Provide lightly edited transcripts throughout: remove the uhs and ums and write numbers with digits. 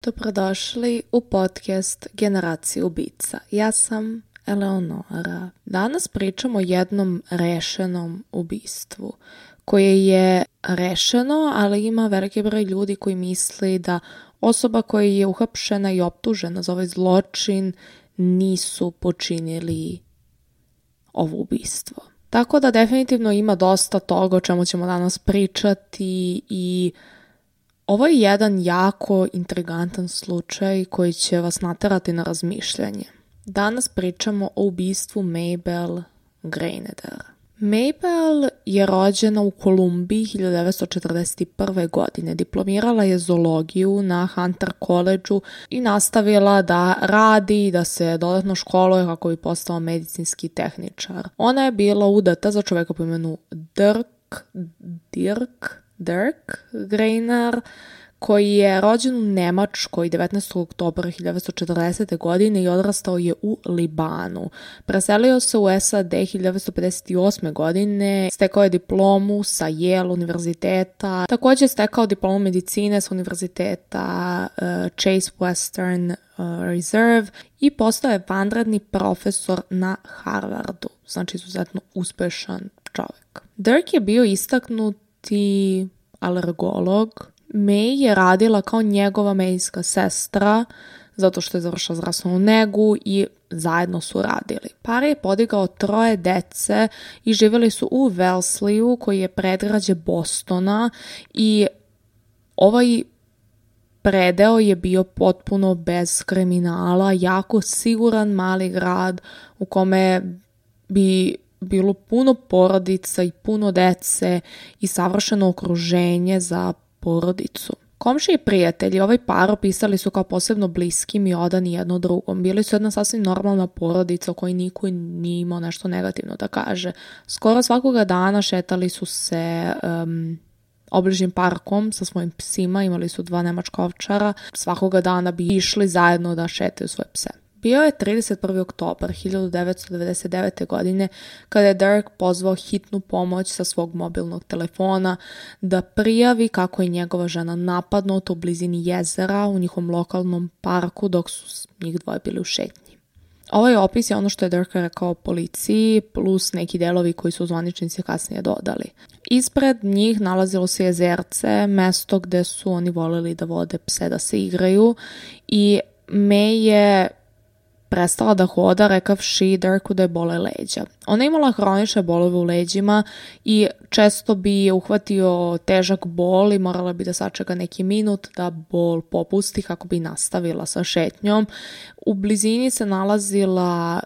Dobrodošli u podcast Generaciju ubica. Ja sam Eleonora. Danas pričamo o jednom rešenom ubistvu koje je rešeno, ali ima veliki broj ljudi koji misli da osoba koja je uhapšena i optužena za ovaj zločin nisu počinili ovo ubistvo. Tako da definitivno ima dosta toga o čemu ćemo danas pričati i ovo je jedan jako intrigantan slučaj koji će vas naterati na razmišljanje. Danas pričamo o ubistvu Mabel Graneter. Mabel je rođena u Kolumbiji 1941. godine. Diplomirala je zoologiju na Hunter Collegeu i nastavila da radi i da se dodatno školuje kako bi postala medicinski tehničar. Ona je bila udata za čoveka po imenu Dirk Graner, koji je rođen u Nemačkoj 19. oktobra 1940. godine i odrastao je u Libanu. Preselio se u SAD 1958. godine, stekao je diplomu sa Yale univerziteta, također je stekao diplomu medicine sa univerziteta Chase Western Reserve i postao je vanredni profesor na Harvardu, znači izuzetno uspešan čovjek. Dirk je bio istaknuti alergolog. May je radila kao njegova medijska sestra zato što je završila zdravstvenu negu i zajedno su radili. Par je podigao 3 dece i živjeli su u Wellesleyu koji je predgrađe Bostona i ovaj predeo je bio potpuno bez kriminala, jako siguran mali grad u kome bi bilo puno porodica i puno dece i savršeno okruženje za porodicu. Komšije i prijatelji ovaj par opisali su kao posebno bliskim i odani jedno drugom. Bili su jedna sasvim normalna porodica o kojoj niko nije imao nešto negativno da kaže. Skoro svakoga dana šetali su se obližnjim parkom sa svojim psima, imali su 2 nemačka ovčara. Svakoga dana bi išli zajedno da šetaju svoje pse. Bio je 31. oktobar 1999. godine kada je Dirk pozvao hitnu pomoć sa svog mobilnog telefona da prijavi kako je njegova žena napadnuta u blizini jezera u njihovom lokalnom parku dok su njih dvoje bili u šetnji. Ovaj opis je ono što je Dirk rekao policiji plus neki delovi koji su zvaničnici kasnije dodali. Ispred njih nalazilo se jezerce, mesto gde su oni voleli da vode pse da se igraju i May je prestala da hoda rekavši Dirku da je bole leđa. Ona je imala hronične bolove u leđima i često bi je uhvatio težak bol i morala bi da sačeka neki minut da bol popusti kako bi nastavila sa šetnjom. U blizini se nalazila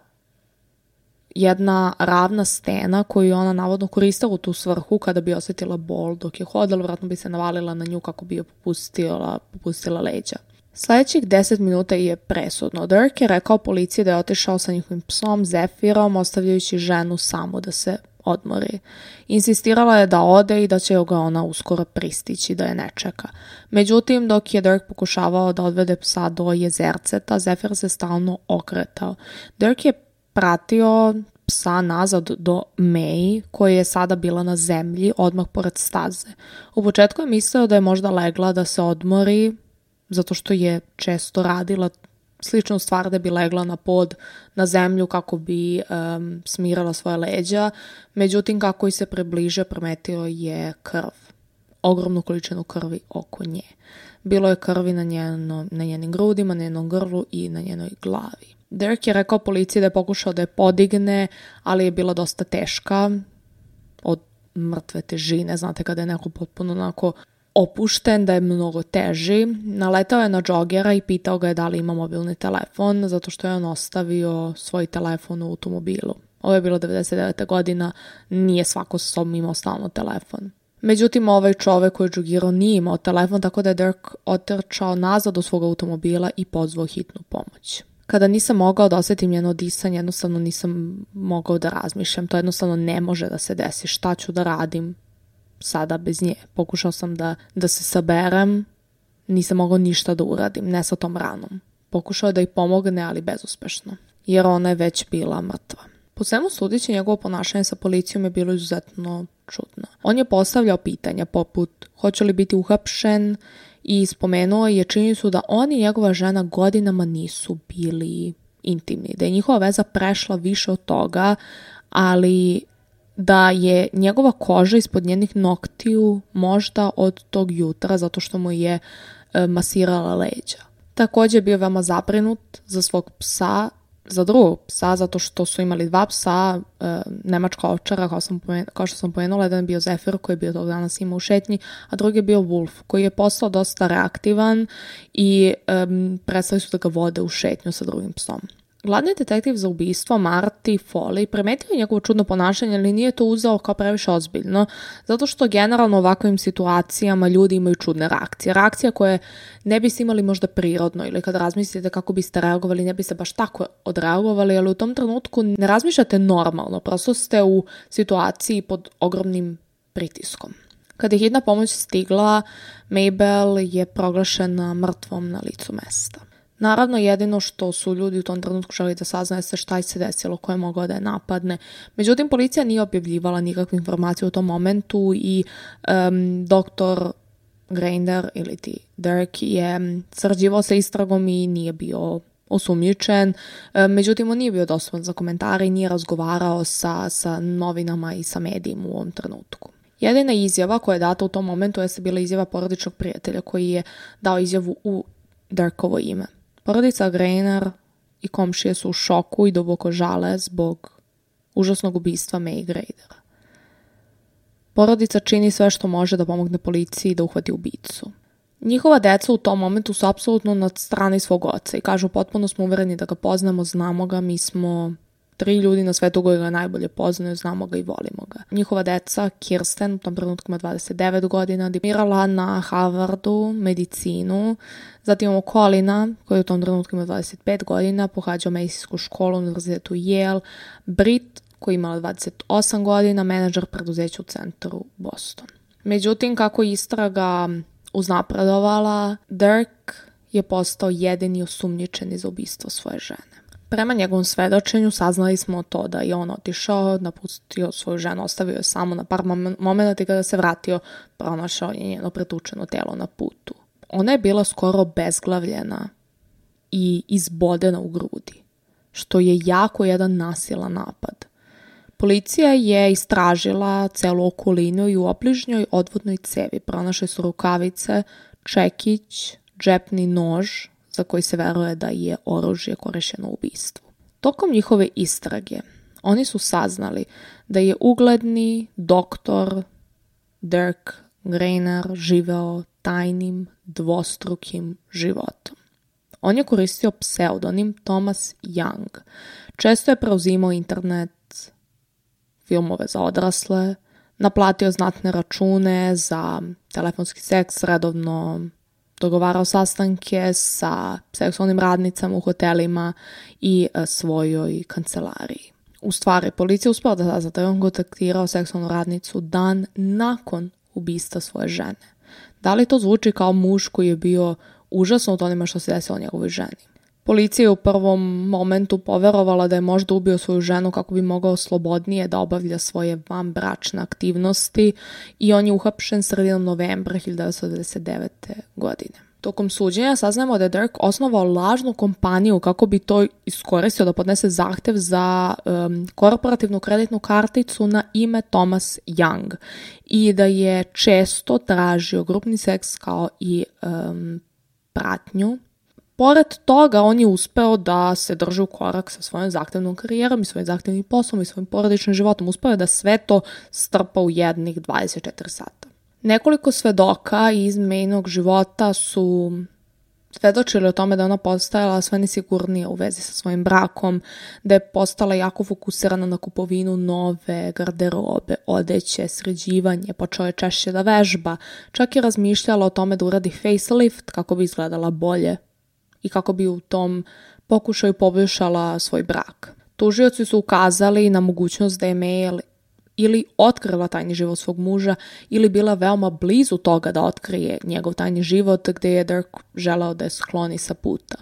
jedna ravna stena koju ona navodno koristila u tu svrhu kada bi osjetila bol dok je hodala, vjerojatno bi se navalila na nju kako bi je popustila leđa. Sljedećih 10 minuta je presudno. Dirk je rekao policiji da je otišao sa njihovim psom Zefirom, ostavljajući ženu samu da se odmori. Insistirala je da ode i da će ga ona uskoro pristići, da je ne čeka. Međutim, dok je Dirk pokušavao da odvede psa do jezerceta, Zefir se stalno okretao. Dirk je pratio psa nazad do May, koja je sada bila na zemlji, odmah pored staze. U početku je mislio da je možda legla da se odmori, zato što je često radila sličnu stvar da bi legla na pod na zemlju kako bi smirala svoje leđa. Međutim, kako se približe, primetio je krv. Ogromnu količinu krvi oko nje. Bilo je krvi na njenim grudima, na njenom grlu i na njenoj glavi. Dirk je rekao policiji da je pokušao da je podigne, ali je bila dosta teška od mrtve težine. Znate kada je neko potpuno onako opušten, da je mnogo teži. Naletao je na džogera i pitao ga je da li ima mobilni telefon, zato što je on ostavio svoj telefon u automobilu. Ovo je bilo 99. godina, nije svako sa sobom imao stalno telefon. Međutim, ovaj čovek koji je džogirao nije imao telefon, tako da je Dirk otrčao nazad do svog automobila i pozvao hitnu pomoć. Kada nisam mogao da osjetim njeno disanje, jednostavno nisam mogao da razmišljam. To jednostavno ne može da se desi. Šta ću da radim sada bez nje? Pokušao sam da se saberem, nisam mogao ništa da uradim, ne sa tom ranom. Pokušao je da ih pomogne, ali bezuspešno, jer ona je već bila mrtva. Po svemu sudeći, njegovo ponašanje sa policijom je bilo izuzetno čudno. On je postavljao pitanja poput hoće li biti uhapšen i spomenuo je činjenicu da on i njegova žena godinama nisu bili intimni, da je njihova veza prešla više od toga, ali da je njegova koža ispod njenih noktiju možda od tog jutra zato što mu je masirala leđa. Također je bio veoma zabrinut za svog psa, za drugog psa, zato što su imali 2 psa, nemačka ovčara, kao što sam pomenula, jedan je bio Zephyr koji je bio tog dana s njima u šetnji, a drugi je bio Wolf koji je postao dosta reaktivan i prestali su da ga vode u šetnju sa drugim psom. Glavni detektiv za ubistvo Marty Foley primetio je njegovo čudno ponašanje, ali nije to uzeo kao previše ozbiljno, zato što generalno u ovakvim situacijama ljudi imaju čudne reakcije. Reakcija koje ne biste imali možda prirodno ili kad razmislite kako biste reagovali, ne biste baš tako odreagovali, ali u tom trenutku ne razmišljate normalno, prosto ste u situaciji pod ogromnim pritiskom. Kada je hitna pomoć stigla, Mabel je proglašena mrtvom na licu mesta. Naravno, jedino što su ljudi u tom trenutku želi da saznaju se šta se desilo, ko je mogao da je napadne. Međutim, policija nije objavljivala nikakve informacije u tom momentu i doktor Grainer ili ti Dirk je sarađivao sa istragom i nije bio osumnjičen. Međutim, on nije bio dostupan za komentare i nije razgovarao sa novinama i sa medijima u ovom trenutku. Jedina izjava koja je data u tom momentu je bila izjava porodičnog prijatelja koji je dao izjavu u Dirkovo ime. Porodica Grainer i komšije su u šoku i duboko žale zbog užasnog ubistva May Gradera. Porodica čini sve što može da pomogne policiji da uhvati ubicu. Njihova deca u tom momentu su apsolutno na strani svog oca i kažu potpuno smo uvereni da ga poznamo, znamo ga, mi smo 3 ljudi na svetu koji ga najbolje poznaju, znamo ga i volimo ga. Njihova deca, Kirsten, u tom trenutku ima 29 godina, diplomirala na Harvardu medicinu. Zatim imamo Colina, koji u tom trenutku ima 25 godina, pohađao medicinsku školu u univerzitetu Yale. Brit, koji imala 28 godina, menadžer preduzeća u centru Boston. Međutim, kako istraga uznapredovala, Dirk je postao jedini osumnjičeni za ubistvo svoje žene. Prema njegovom svedočenju saznali smo to da je on otišao, napustio svoju ženu, ostavio je samo na par momenata i kada se vratio, pronašao je njeno pretučeno telo na putu. Ona je bila skoro obezglavljena i izbodena u grudi, što je jako jedan nasilan napad. Policija je istražila celu okolinu i u obližnjoj odvodnoj cevi pronašli su rukavice, čekić, džepni nož, za koji se veruje da je oružje korišćeno u ubistvu. Tokom njihove istrage oni su saznali da je ugledni doktor Dirk Grainer živeo tajnim, dvostrukim životom. On je koristio pseudonim Thomas Young. Često je preuzimao internet, filmove za odrasle, naplatio znatne račune za telefonski seks, redovno dogovarao sastanke sa seksualnim radnicama u hotelima i svojoj kancelariji. U stvari, policija uspela da sazna da je on kontaktirao seksualnu radnicu dan nakon ubistva svoje žene. Da li to zvuči kao muž koji je bio užasno od onima što se desilo njegovoj ženi? Policija je u prvom momentu poverovala da je možda ubio svoju ženu kako bi mogao slobodnije da obavlja svoje vanbračne aktivnosti i on je uhapšen sredinom novembra 1999. godine. Tokom suđenja saznajemo da je Dirk osnovao lažnu kompaniju kako bi to iskoristio da podnese zahtev za korporativnu kreditnu karticu na ime Thomas Young i da je često tražio grupni seks kao i pratnju. Pored toga, on je uspeo da se drži u korak sa svojom zahtevnom karijerom i svojim zahtevnim poslom i svojim porodičnim životom. Uspeo je da sve to strpa u jednih 24 sata. Nekoliko svedoka iz Maynog života su svedočili o tome da ona postajala sve nesigurnija u vezi sa svojim brakom, da je postala jako fokusirana na kupovinu nove garderobe, odeće, sređivanje, počela je češće da vežba, čak je razmišljala o tome da uradi facelift kako bi izgledala bolje i kako bi u tom pokušaju poboljšala svoj brak. Tužioci su ukazali na mogućnost da je May ili otkrila tajni život svog muža ili bila veoma blizu toga da otkrije njegov tajni život gde je Dirk želeo da je skloni sa puta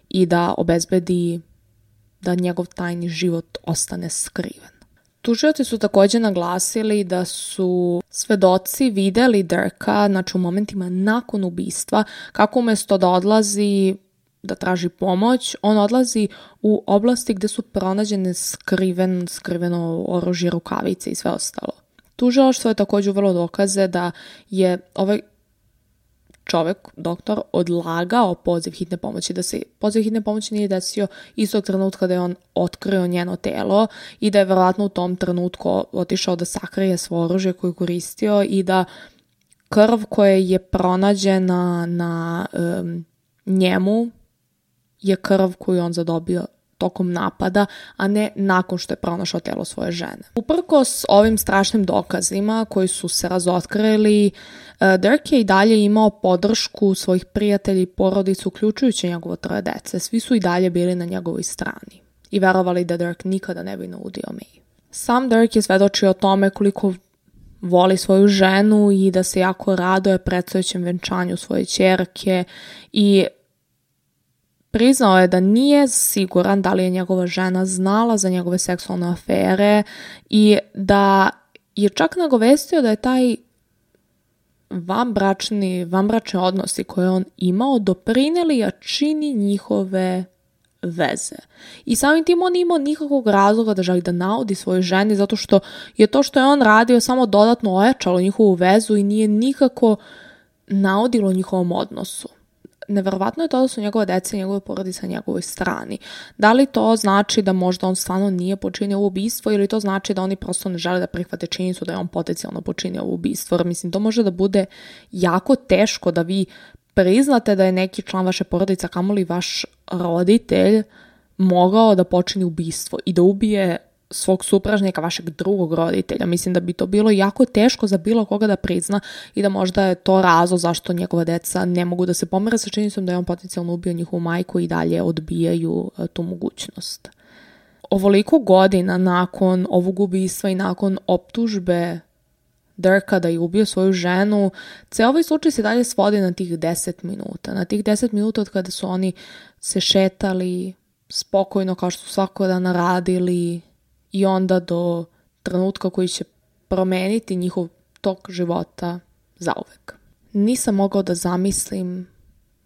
i da obezbedi da njegov tajni život ostane skriven. Tužioci su također naglasili da su svedoci vidjeli Dirka, znači u momentima nakon ubistva, kako umjesto da odlazi da traži pomoć, on odlazi u oblasti gdje su pronađene skriveno oružje, rukavice i sve ostalo. Tužilaštvo je također vrlo dokaze da je ovaj čovjek, doktor, odlagao poziv hitne pomoći, da se poziv hitne pomoći nije desio istog trenutka da je on otkrio njeno telo i da je vjerojatno u tom trenutku otišao da sakrije svoje oružje koje je koristio i da krv koja je pronađena na njemu je krv koju on zadobio tokom napada, a ne nakon što je pronašao telo svoje žene. Uprkos ovim strašnim dokazima koji su se razotkrili, Dirk je i dalje imao podršku svojih prijatelja i porodica, uključujući njegovo 3 dece. Svi su i dalje bili na njegovoj strani i verovali da Dirk nikada ne bi naudio May. Sam Dirk je svedočio o tome koliko voli svoju ženu i da se jako raduje predstojećem venčanju svoje ćerke i priznao je da nije siguran da li je njegova žena znala za njegove seksualne afere i da je čak nagovestio da je taj vanbračni odnosi koje on imao doprinijeli jačini njihove veze. I samim tim on nije imao nikakvog razloga da želi da naudi svojoj ženi, zato što je to što je on radio samo dodatno ojačalo njihovu vezu i nije nikako naudilo njihovom odnosu. Neverovatno je to da su njegove dece i njegove porodice na njegovoj strani. Da li to znači da možda on stvarno nije počinio ovo ubistvo ili to znači da oni prosto ne žele da prihvate činjenicu da je on potencijalno počinio ovo ubistvo? Jer mislim, to može da bude jako teško da vi priznate da je neki član vaše porodice, kamoli vaš roditelj, mogao da počini ubistvo i da ubije svog supražnika, vašeg drugog roditelja. Mislim da bi to bilo jako teško za bilo koga da prizna i da možda je to razlog zašto njegova deca ne mogu da se pomere sa činjenicom da je on potencijalno ubio njihovu majku i dalje odbijaju tu mogućnost. Ovoliko godina nakon ovog ubistva i nakon optužbe Dirka da je ubio svoju ženu, ceo ovaj slučaj se dalje svodi na tih 10 minuta. Na tih 10 minuta od kada su oni se šetali spokojno kao što su svako dan radili i onda do trenutka koji će promeniti njihov tok života zauvek. Nisam mogao da zamislim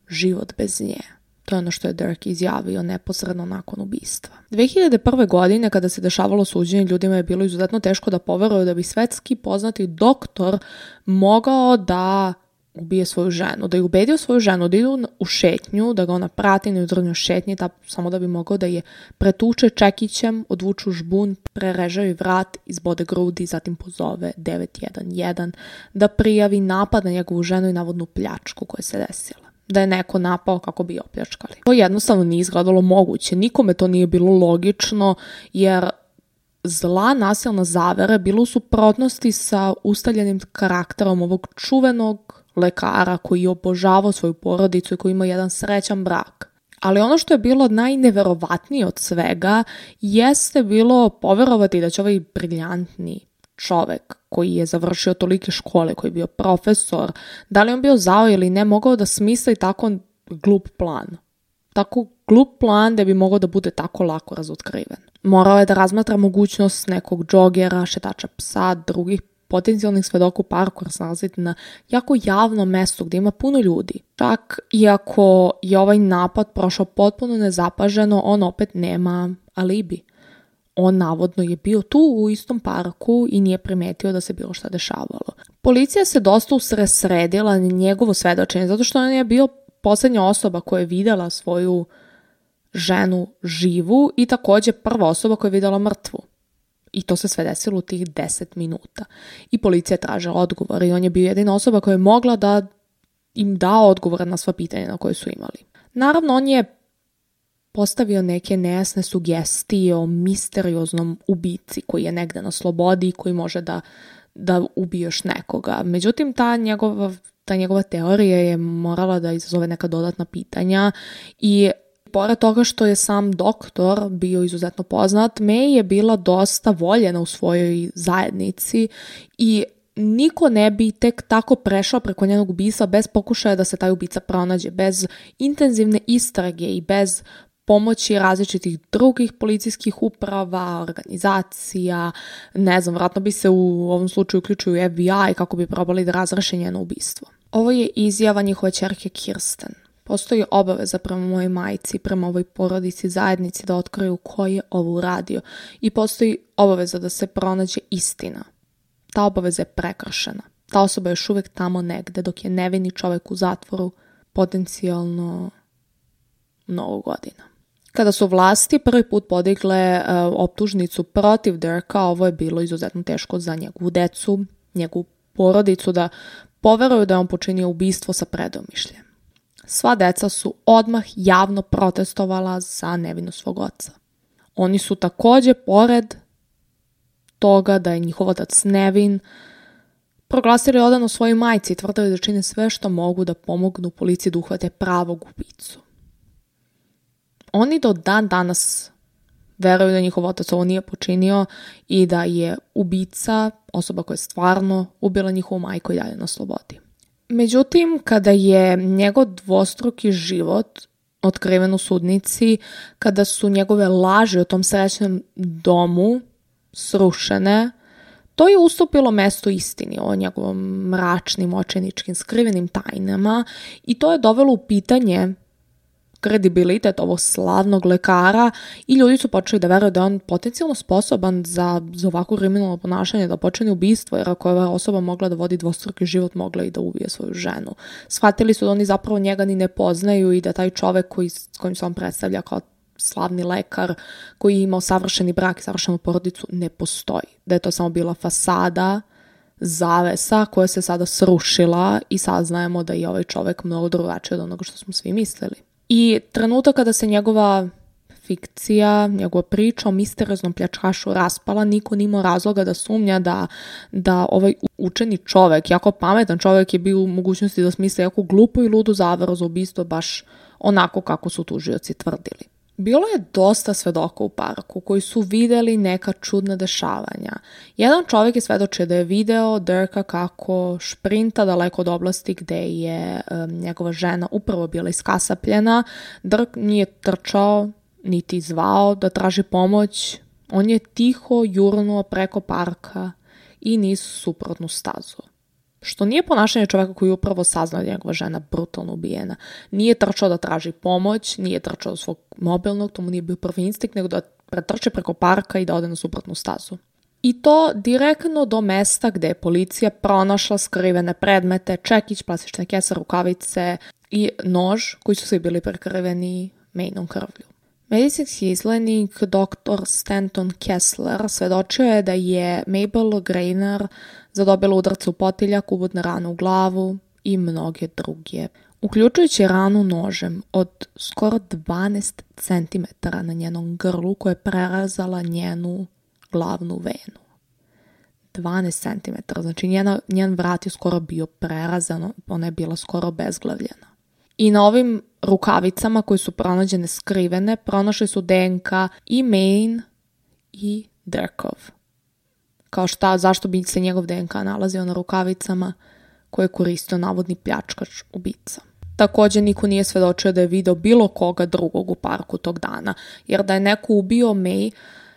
život bez nje. To je ono što je Dirk izjavio neposredno nakon ubistva. 2001. godine, kada se dešavalo suđenje, ljudima je bilo izuzetno teško da poveruju da bi svetski poznati doktor mogao da ubije svoju ženu, da je ubedio svoju ženu da idu u šetnju, da ga ona prati na jutarnjoj šetnji, samo da bi mogao da je pretuče čekićem, odvuču žbun, prereže joj vrat, izbode grudi, zatim pozove 911 da prijavi napad na njegovu ženu i navodnu pljačku koja se desila. Da je neko napao kako bi opljačkali. To jednostavno nije izgledalo moguće. Nikome to nije bilo logično, jer zla nasilna zavera bilo u suprotnosti sa ustaljenim karakterom ovog čuvenog lekara koji je obožavao svoju porodicu i koji ima jedan srećan brak. Ali ono što je bilo najneverovatnije od svega jeste bilo poverovati da će ovaj briljantni čovek koji je završio tolike škole, koji je bio profesor, da li on bio zao ili ne, mogao da smisli tako glup plan. Tako glup plan da bi mogao da bude tako lako razotkriven. Morao je da razmatra mogućnost nekog džogera, šetača psa, drugih potencijalnih svedoka u parku, jer se nalazite na jako javnom mestu gdje ima puno ljudi. Čak iako je ovaj napad prošao potpuno nezapaženo, on opet nema alibi. On navodno je bio tu u istom parku i nije primetio da se bilo šta dešavalo. Policija se dosta usredsredila na njegovo svedočenje, zato što on je bio posljednja osoba koja je vidjela svoju ženu živu i također prva osoba koja je vidjela mrtvu. I to se sve desilo u tih 10 minuta. I policija je tražila odgovor i on je bio jedina osoba koja je mogla da im da odgovore na sva pitanja na koje su imali. Naravno, on je postavio neke nejasne sugestije o misterioznom ubici koji je negde na slobodi i koji može da ubije još nekoga. Međutim, ta njegova teorija je morala da izazove neka dodatna pitanja i pored toga što je sam doktor bio izuzetno poznat, May je bila dosta voljena u svojoj zajednici i niko ne bi tek tako prešao preko njenog ubistva bez pokušaja da se taj ubica pronađe, bez intenzivne istrage i bez pomoći različitih drugih policijskih uprava, organizacija, ne znam, vratno bi se u ovom slučaju uključuju FBI kako bi probali da razreše njeno ubistvo. Ovo je izjava njihove ćerke Kirsten. Postoji obaveza prema mojoj majci, prema ovoj porodici, zajednici da otkriju ko je ovo uradio i postoji obaveza da se pronađe istina. Ta obaveza je prekršena. Ta osoba je još uvijek tamo negde dok je nevini čovjek u zatvoru potencijalno mnogo godina. Kada su vlasti prvi put podigle optužnicu protiv Dirka, ovo je bilo izuzetno teško za njegovu decu, njegovu porodicu da poveruju da je on počinio ubistvo sa predomišljem. Sva deca su odmah javno protestovala za nevinu svog oca. Oni su također, pored toga da je njihov otac nevin, proglasili odano svojoj majci i tvrdili da čine sve što mogu da pomognu policiji da uhvate pravog ubicu. Oni do dan danas veruju da njihov otac ovo nije počinio i da je ubica osoba koja je stvarno ubila njihovu majku i dalje na slobodi. Međutim, kada je njegov dvostruki život otkriven u sudnici, kada su njegove laži o tom srećnom domu srušene, to je ustupilo mesto istini o njegovom mračnim, očajničkim, skrivenim tajnama i to je dovelo u pitanje kredibilitet ovog slavnog lekara i ljudi su počeli da veruju da je on potencijalno sposoban za ovako kriminalno ponašanje, da počini ubistvo, jer ako je ova osoba mogla da vodi dvostruki život, mogla i da ubije svoju ženu. Shvatili su da oni zapravo njega ni ne poznaju i da taj čovek s kojim se on predstavlja kao slavni lekar koji je imao savršeni brak i savršenu porodicu ne postoji. Da je to samo bila fasada, zavesa koja se sada srušila i saznajemo da je ovaj čovek mnogo drugačiji od onoga što smo svi mislili. I trenutak kada se njegova fikcija, njegova priča o misterioznom pljačkašu raspala, niko nije imao razloga da sumnja da ovaj učeni čovek, jako pametan čovek, je bio u mogućnosti da smisli jako glupu i ludu zavaru za ubistvo baš onako kako su tužioci tvrdili. Bilo je dosta svedoka u parku koji su vidjeli neka čudna dešavanja. Jedan čovjek je svedočio da je video Dirka kako šprinta daleko od oblasti gde je njegova žena upravo bila iskasapljena. Dirk nije trčao niti zvao da traži pomoć. On je tiho jurnuo preko parka i niz suprotnu stazu. Što nije ponašanje čovjeka koji je upravo saznao da je njegova žena brutalno ubijena. Nije trčao da traži pomoć, nije trčao do svog mobilnog, to mu nije bio prvi instinkt, nego da pretrče preko parka i da ode na suprotnu stazu. I to direktno do mesta gde je policija pronašla skrivene predmete, čekić, plastične kese, rukavice i nož koji su svi bili prekriveni Maineom krvlju. Medicinski izglednik dr. Stanton Kessler svedočio je da je Mabel Grainer zadobila udarce u potiljak, ubodne rane u glavu i mnoge druge, uključujući ranu nožem od skoro 12 cm na njenom grlu koja je prerazala njenu glavnu venu. 12 cm, znači njen vrat je skoro bio prerazan, ona je bila skoro obezglavljena. I na ovim rukavicama koje su pronađene skrivene, pronašli su DNK i Maine i Dirkov. Kao zašto bi se njegov DNK nalazio na rukavicama koje je koristio navodni pljačkač ubica. Također niko nije svedočio da je video bilo koga drugog u parku tog dana, jer da je neko ubio May,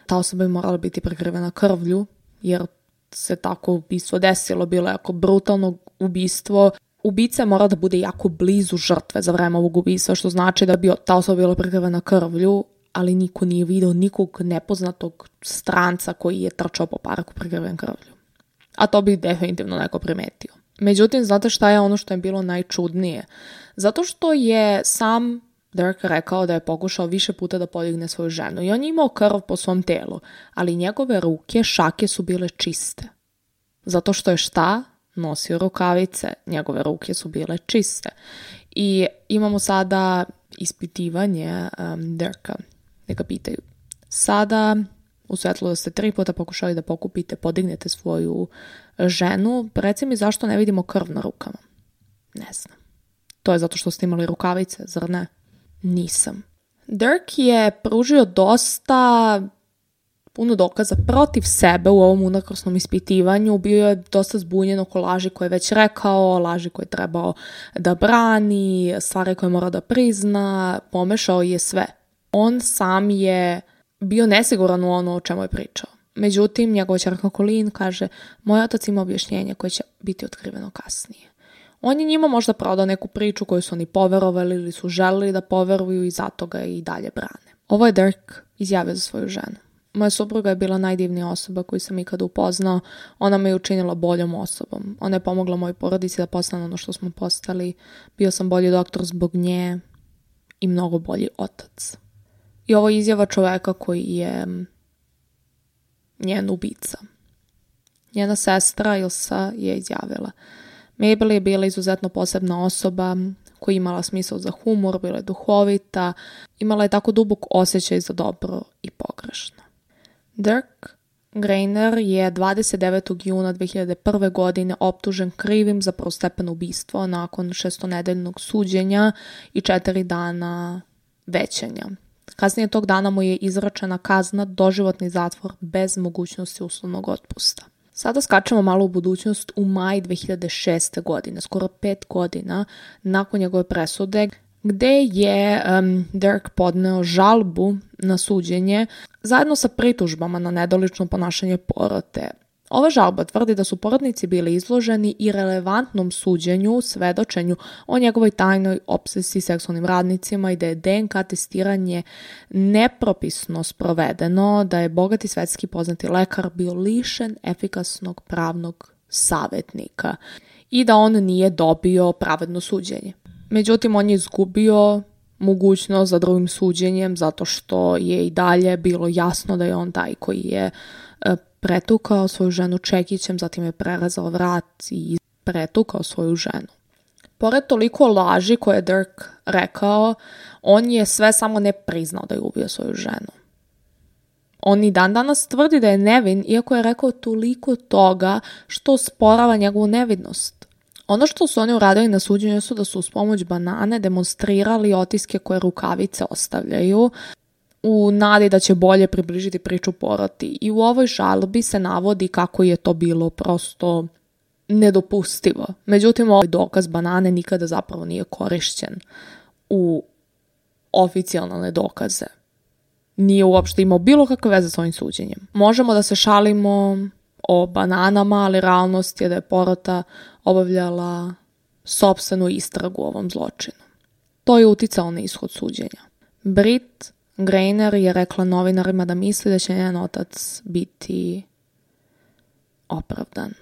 ta osoba bi morala biti prekrivena krvlju, jer se tako ubistvo desilo, bilo je jako brutalno ubistvo. Ubica mora da bude jako blizu žrtve za vreme ovog ubistva, što znači da bi ta osoba bila prekrivena krvlju, ali niko nije video nikog nepoznatog stranca koji je trčao po parku prekriven krvlju. A to bi definitivno neko primetio. Međutim, znate šta je ono što je bilo najčudnije? Zato što je sam Dirk rekao da je pokušao više puta da podigne svoju ženu i on je imao krv po svom telu, ali njegove ruke, šake su bile čiste. Zato što je šta? Nosio rukavice, njegove ruke su bile čiste. I imamo sada ispitivanje Dirka, neka pitaju. Sada, u svetlu da ste 3 puta pokušali da podignete svoju ženu, reci mi zašto ne vidimo krv na rukama? Ne znam. To je zato što ste imali rukavice, zar ne? Nisam. Dirk je pružio dosta puno dokaza protiv sebe u ovom unakrsnom ispitivanju. Bio je dosta zbunjen oko laži koje je već rekao, laži koje je trebao da brani, stvari koje mora da prizna, pomešao je sve. On sam je bio nesiguran u ono o čemu je pričao. Međutim, njegova ćerka Colleen kaže, moj otac ima objašnjenje koje će biti otkriveno kasnije. On je njima možda prodao neku priču koju su oni poverovali ili su želeli da poveruju i zato ga i dalje brane. Ovo je Dirk izjavio za svoju ženu. Moja supruga je bila najdivnija osoba koju sam ikada upoznao. Ona me je učinila boljom osobom. Ona je pomogla mojoj porodici da postane ono što smo postali. Bio sam bolji doktor zbog nje i mnogo bolji otac. I ovo je izjava čoveka koji je njen ubica. Njena sestra Ilsa je izjavila. Mabel je bila izuzetno posebna osoba koja je imala smisao za humor, bila je duhovita, imala je tako dubok osjećaj za dobro i pogrešno. Dirk Grainer je 29. juna 2001. godine optužen krivim za prvostepeno ubistvo nakon 6-nedeljnog suđenja i 4 dana većanja. Kasnije tog dana mu je izračena kazna doživotni zatvor bez mogućnosti uslovnog otpusta. Sada skačemo malo u budućnost u maj 2006. godine, skoro 5 godina nakon njegove presude, gde je Dirk podneo žalbu na suđenje zajedno sa pritužbama na nedolično ponašanje porote. Ova žalba tvrdi da su porotnici bili izloženi irelevantnom suđenju, svedočenju o njegovoj tajnoj opsesiji seksualnim radnicima i da je DNK testiranje nepropisno sprovedeno, da je bogati svetski poznati lekar bio lišen efikasnog pravnog savjetnika i da on nije dobio pravedno suđenje. Međutim, on je izgubio mogućnost za drugim suđenjem zato što je i dalje bilo jasno da je on taj koji je pretukao svoju ženu čekićem, zatim je prerezao vrat i pretukao svoju ženu. Pored toliko laži koje je Dirk rekao, on je sve samo ne priznao da je ubio svoju ženu. On i dan danas tvrdi da je nevin, iako je rekao toliko toga što sporava njegovu nevidnost. Ono što su oni uradili na suđenju su da su uz pomoć banane demonstrirali otiske koje rukavice ostavljaju u nadi da će bolje približiti priču poroti. I u ovoj žalbi se navodi kako je to bilo prosto nedopustivo. Međutim, ovaj dokaz banane nikada zapravo nije korišćen u oficijalne dokaze. Nije uopšte imao bilo kakve veze s ovim suđenjem. Možemo da se šalimo o bananama, ali realnost je da je porota obavljala sopstvenu istragu o ovom zločinu. To je uticalo na ishod suđenja. Brit Grainer je rekla novinarima da misli da će njen otac biti opravdan.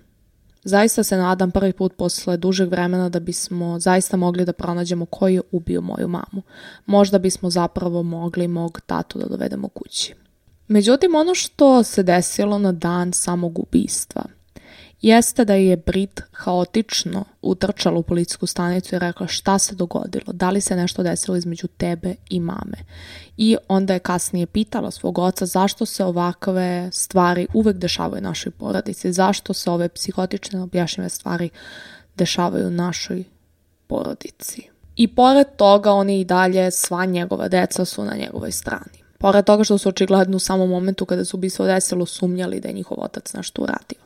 Zaista se nadam prvi put posle dužeg vremena da bismo zaista mogli da pronađemo ko je ubio moju mamu. Možda bismo zapravo mogli mog tatu da dovedemo kući. Međutim, ono što se desilo na dan samog ubistva jeste da je Brit haotično utrčala u policijsku stanicu i rekla šta se dogodilo, da li se nešto desilo između tebe i mame. I onda je kasnije pitala svog oca zašto se ovakve stvari uvek dešavaju našoj porodici, zašto se ove psihotične objašnjive stvari dešavaju našoj porodici. I pored toga oni i dalje, sva njegova deca su na njegovoj strani. Pored toga što su očigledno u samom momentu kada se ubistvo desilo sumnjali da je njihov otac nešto uradio.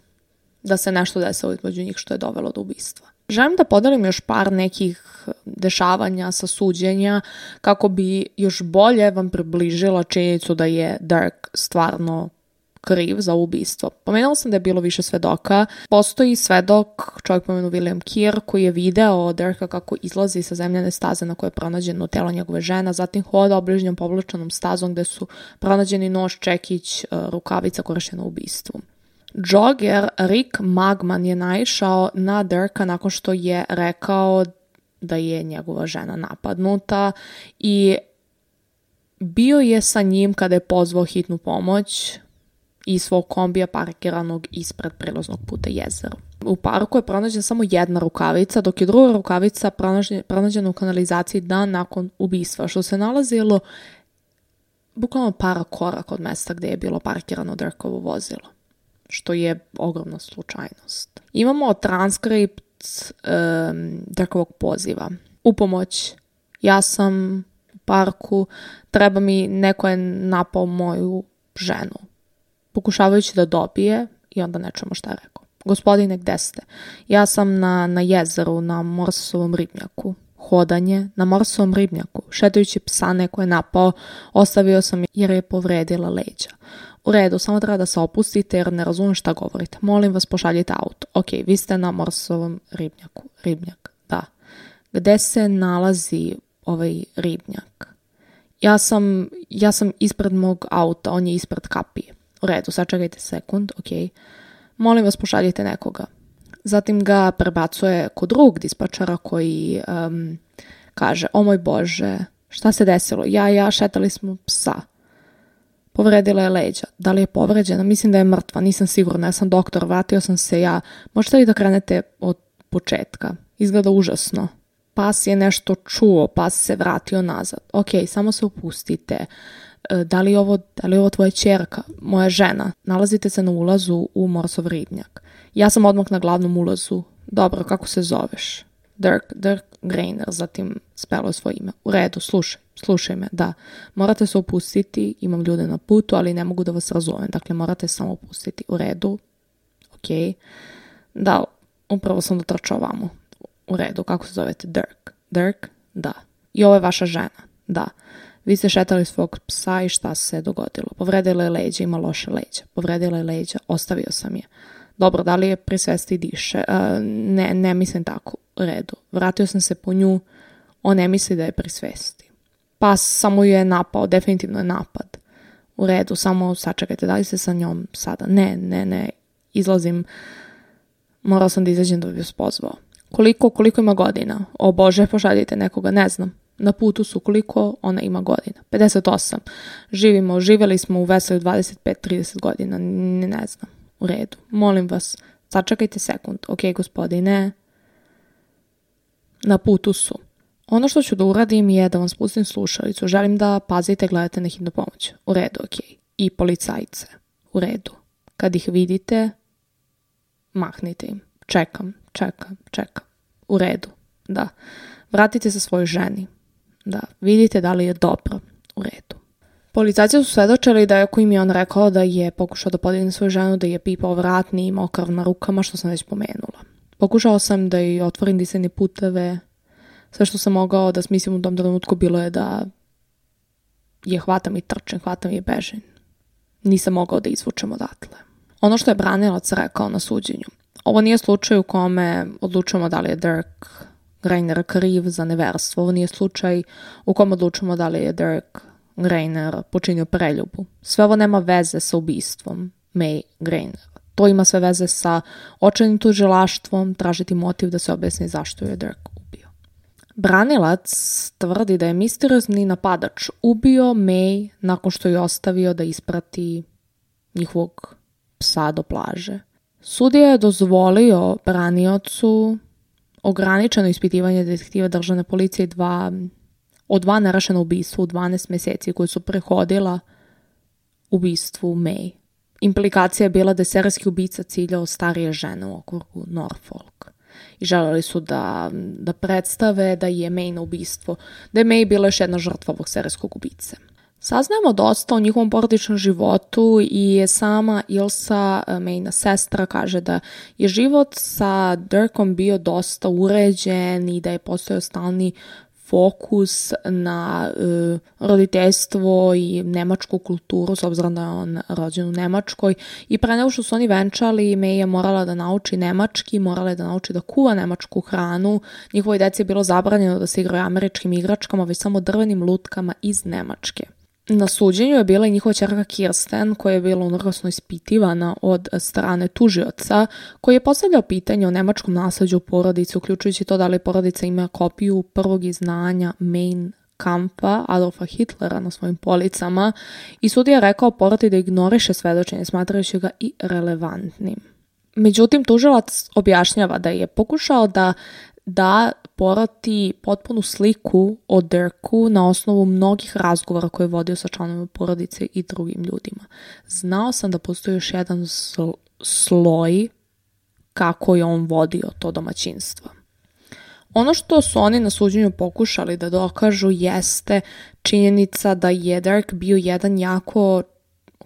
Da se nešto desilo između njih što je dovelo do ubistva. Želim da podelim još par nekih dešavanja sa suđenja kako bi još bolje vam približila činjenicu da je Dirk stvarno kriv za ubistvo. Pomenula sam da je bilo više svedoka. Postoji svedok, čovjek pomenu William Keir, koji je video Dirka kako izlazi sa zemljane staze na kojoj je pronađeno telo njegove žena, zatim hoda obližnjom povlačenom stazom gde su pronađeni nož, čekić, rukavica korišćena u ubistvu. Jogger Rick Magman je naišao na Dirka nakon što je rekao da je njegova žena napadnuta i bio je sa njim kada je pozvao hitnu pomoć i svog kombija parkiranog ispred prilaznog puta jezeru. U parku je pronađena samo jedna rukavica, dok je druga rukavica pronađena u kanalizaciji dan nakon ubistva, što se nalazilo bukvalno par koraka od mesta gde je bilo parkirano Dirkovo vozilo, što je ogromna slučajnost. Imamo transkript Dirkovog poziva. U pomoć, ja sam u parku, treba mi, neko je napao moju ženu. Pokušavajući da dobije i onda ne čujemo šta je rekao. Gospodine, gde ste? Ja sam na jezeru, na Morsesovom ribnjaku. hodanje na Morsovom ribnjaku, šetajući psa neko je napao, ostavio sam je jer je povredila leđa. U redu, samo treba da se opustite jer ne razumijem šta govorite. Molim vas, pošaljite auto. Ok, vi ste na Morsovom ribnjaku. Ribnjak, da. Gde se nalazi ovaj ribnjak? Ja sam ispred mog auta, on je ispred kapije. U redu, sačekajte sekund, ok. Molim vas, pošaljite nekoga. Zatim ga prebacuje kod drugog dispečara koji kaže, o moj Bože, šta se desilo? Ja, šetali smo psa. Povredila je leđa. Da li je povređena? Mislim da je mrtva, nisam sigurna, ja sam doktor, vratio sam se ja. Možete li da krenete od početka? Izgleda užasno. Pas je nešto čuo, pas se vratio nazad. Ok, samo se opustite. Da li je ovo tvoja ćerka? Moja žena. Nalazite se na ulazu u Morsov ribnjak. Ja sam odmah na glavnom ulazu. Dobro, kako se zoveš? Dirk Grainer, zatim spelo je svoje ime. U redu, slušaj me, da. Morate se opustiti, imam ljude na putu, ali ne mogu da vas razumem. Dakle, morate samo opustiti. U redu, ok. Da, upravo sam dotrčao vamo. U redu, kako se zovete? Dirk? Da. I ovo je vaša žena? Da. Vi ste šetali svog psa i šta se dogodilo? Povredila je leđa, ima loše leđa. Povredila je leđa, ostavio sam je. Dobro, da li je pri svesti diše? Ne mislim tako. U redu. Vratio sam se po nju, on ne misli da je pri svesti. Pas samo ju je napao, definitivno je napad. U redu, samo sačekajte, da li ste sa njom sada? Ne, izlazim. Morao sam da izađem da bi vas pozvao. Koliko ima godina? O Bože, pošaljite nekoga, ne znam. Na putu su koliko ona ima godina. 58. Živjeli smo u Veselju 25-30 godina, ne znam. U redu. Molim vas, sačekajte sekund. Ok, gospodine. Na putu su. Ono što ću da uradim je da vam spustim slušalicu. Želim da pazite, gledate na hitnu pomoć. U redu, ok. I policajce. U redu. Kad ih vidite, mahnite im. Čekam. U redu. Da. Vratite se svojoj ženi. Da. Vidite da li je dobro. U redu. Policajci su svedočili da je ako im je on rekao da je pokušao da podigne svoju ženu, da je pipao vratni i imao krv na rukama, što sam već pomenula. Pokušao sam da joj otvorim disajne puteve. Sve što sam mogao da smislim u tom trenutku bilo je da je hvatam i trčem, hvatam i bežim. Nisam mogao da izvučem odatle. Ono što je branilac rekao na suđenju. Ovo nije slučaj u kome odlučujemo da li je Dirk Grainer kriv za neverstvo. Ovo nije slučaj u kome odlučujemo da li je Dirk Grainer počinio preljubu. Sve ovo nema veze sa ubistvom May Grainer. To ima sve veze sa očajnim tužilaštvom, tražiti motiv da se objasni zašto je Dirk ubio. Branilac tvrdi da je misteriozni napadač ubio May nakon što je ostavio da isprati njihovog psa do plaže. Sudija je dozvolio braniocu ograničeno ispitivanje detektiva državne policije o dva nerašena ubistva u 12 mjeseci koji su prehodila ubistvu May. Implikacija je bila da je serijski ubica ciljao starije žene u okrugu Norfolk. I želeli su da predstave da je May na ubistvo, da je May bila još jedna žrtva ovog serijskog ubice. Saznajemo dosta o njihovom porodičnom životu i sama Ilsa, Mayna sestra, kaže da je život sa Dirkom bio dosta uređen i da je postojao stalni fokus na roditeljstvo i nemačku kulturu, s obzirom da je on rođen u Nemačkoj. I pre nego što su oni venčali, May je morala da nauči nemački, morala je da nauči da kuva nemačku hranu. Njihovoj deci je bilo zabranjeno da se igraju američkim igračkama, već samo drvenim lutkama iz Nemačke. Na suđenju je bila i njihova ćerka Kirsten, koja je bila unorosno ispitivana od strane tužioca, koji je postavljao pitanje o nemačkom nasleđu u porodici, uključujući to da li porodica ima kopiju prvog izdanja Mein Kampfa Adolfa Hitlera na svojim policama, i sudija je rekao poroti da ignoriše svedočenje, smatrajući ga i relevantnim. Međutim, tužilac objašnjava da je pokušao da poroti potpunu sliku o Dirku na osnovu mnogih razgovora koje je vodio sa članovima porodice i drugim ljudima. Znao sam da postoji još jedan sloj kako je on vodio to domaćinstvo. Ono što su oni na suđenju pokušali da dokažu jeste činjenica da je Dirk bio jedan jako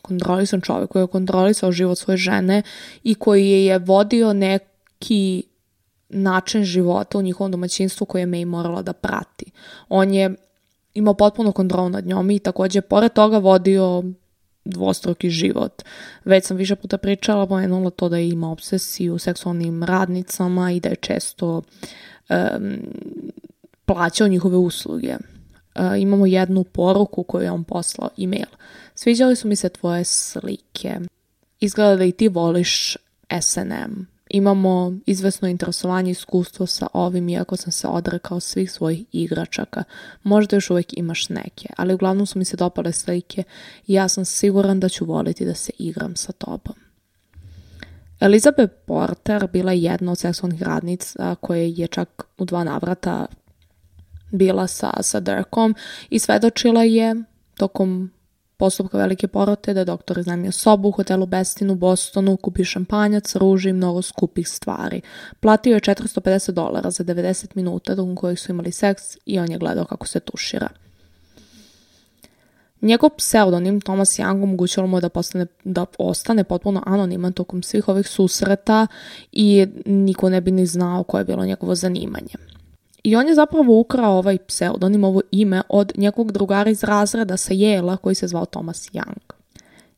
kontrolisan čovjek koji je kontrolisao život svoje žene i koji je vodio neki način života u njihovom domaćinstvu koje je May morala da prati. On je imao potpuno kontrolu nad njom i također pored toga vodio dvostruki život. Već sam više puta pričala, pomenula to da je imao obsesiju seksualnim radnicama i da je često plaćao njihove usluge. Imamo jednu poruku koju je on poslao, e-mail. Sviđali su mi se tvoje slike. Izgleda da i ti voliš S&M. Imamo izvesno interesovanje i iskustvo sa ovim, iako sam se odrekao svih svojih igračaka. Možda još uvijek imaš neke, ali uglavnom su mi se dopale slike i ja sam siguran da ću voliti da se igram sa tobom. Elizabeth Porter bila je jedna od seksualnih radnica koje je čak u 2 navrata bila sa Dirkom i svedočila je tokom postupka velike porote da je doktor iznajmio sobu u hotelu Bestin u Bostonu, kupio šampanjac, ruže i mnogo skupih stvari. Platio je $450 za 90 minuta tokom kojih su imali seks i on je gledao kako se tušira. Njegov pseudonim Thomas Young omogućilo mu je da ostane potpuno anoniman tokom svih ovih susreta i niko ne bi ni znao koje je bilo njegovo zanimanje. I on je zapravo ukrao ovaj pseudonim, ovo ime, od njegovog drugara iz razreda sa Yale-a koji se zvao Thomas Young.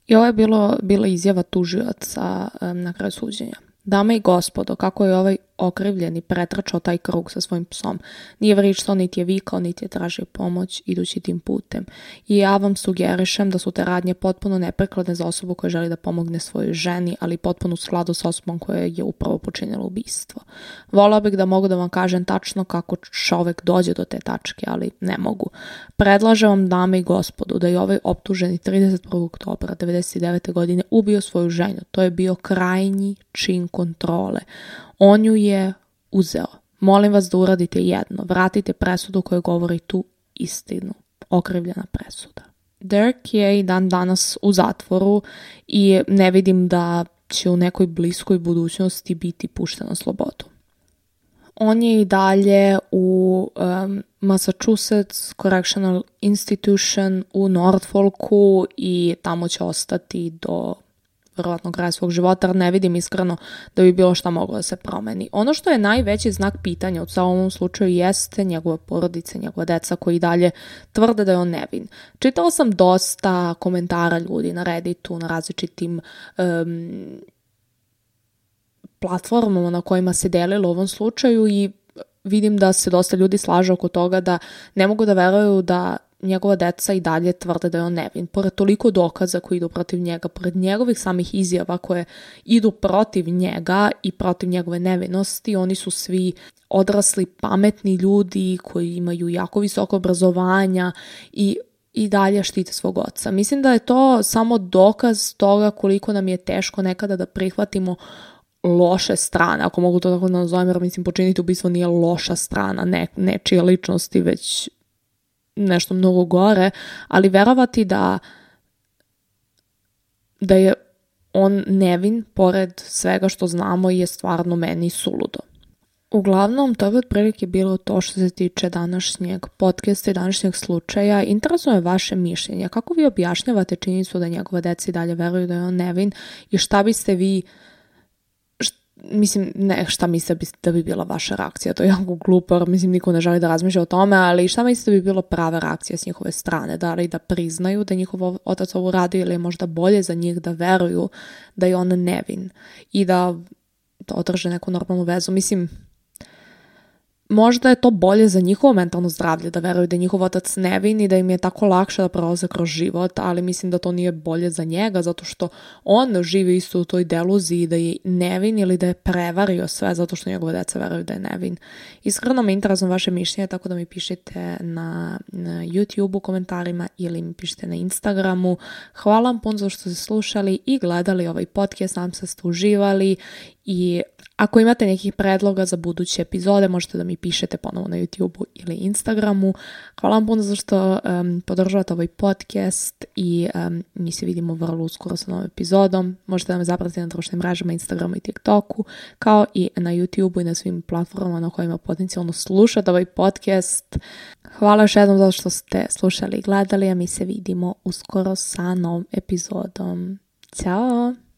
I ovo je bila izjava tužioca na kraju suđenja. Dame i gospodo, kako je ovaj okrivljeni pretrčao taj krug sa svojim psom. Nije vrištao, niti je vikao, niti je tražio pomoć idući tim putem. I ja vam sugerišem da su te radnje potpuno neprikladne za osobu koja želi da pomogne svojoj ženi, ali potpuno u skladu s osobom koja je upravo počinila ubistvo. Volao bih da mogu da vam kažem tačno kako čovek dođe do te tačke, ali ne mogu. Predlažem vam, dame i gospodo, da je ovaj optuženi 31. oktobra 1999. godine ubio svoju ženju. To je bio krajnji čin kontrole. On ju je uzeo. Molim vas da uradite jedno. Vratite presudu koja govori tu istinu. Okrivljena presuda. Dirk je i dan danas u zatvoru i ne vidim da će u nekoj bliskoj budućnosti biti pušten na slobodu. On je i dalje u Massachusetts Correctional Institution u Norfolku i tamo će ostati do vjerovatno kraj svog života, jer ne vidim iskreno da bi bilo šta moglo da se promeni. Ono što je najveći znak pitanja u ovom slučaju jeste njegova porodica, njegova deca koji dalje tvrde da je on nevin. Čitala sam dosta komentara ljudi na Redditu, na različitim platformama na kojima se delilo u ovom slučaju i vidim da se dosta ljudi slaže oko toga da ne mogu da veruju da njegova deca i dalje tvrde da je on nevin. Pored toliko dokaza koji idu protiv njega, pored njegovih samih izjava koje idu protiv njega i protiv njegove nevinosti, oni su svi odrasli, pametni ljudi koji imaju jako visoko obrazovanja i dalje štite svog oca. Mislim da je to samo dokaz toga koliko nam je teško nekada da prihvatimo loše strane, ako mogu to tako da nazovem, jer mislim počiniti ubistvo nije loša strana nečije ličnosti, već nešto mnogo gore, ali verovati da je on nevin pored svega što znamo je stvarno meni suludo. Uglavnom, to bi otprilike bilo to što se tiče današnjeg podcasta i današnjeg slučaja. Interesuje me vaše mišljenje. Kako vi objašnjavate činjenicu da njegova deca i dalje veruju da je on nevin i šta biste vi šta mislite da bi bila vaša reakcija, to je jako glupo, mislim niko ne želi da razmišlja o tome, ali šta mislite da bi bila prava reakcija s njihove strane, da li da priznaju da njihov otac ovo radi ili je možda bolje za njih da veruju da je on nevin i da održe neku normalnu vezu, mislim možda je to bolje za njihovo mentalno zdravlje da veruju da je njihov otac nevin i da im je tako lakše da prolaze kroz život, ali mislim da to nije bolje za njega zato što on živi isto u toj deluziji da je nevin ili da je prevario sve zato što njegove deca veruju da je nevin. Iskreno me interesuje vaše mišljenje, tako da mi pišite na YouTube u komentarima ili mi pišite na Instagramu. Hvala vam puno za što ste slušali i gledali ovaj podcast, nadam se da ste uživali i ako imate nekih predloga za buduće epizode, možete da mi pišete ponovo na YouTubeu ili Instagramu. Hvala vam puno za što podržavate ovaj podcast i mi se vidimo vrlo uskoro sa novom epizodom. Možete da me zapratite na društvenim mrežama, Instagramu i TikToku, kao i na YouTubeu i na svim platformama na kojima potencijalno slušate ovaj podcast. Hvala još jednom za što ste slušali i gledali, a mi se vidimo uskoro sa novom epizodom. Ćao!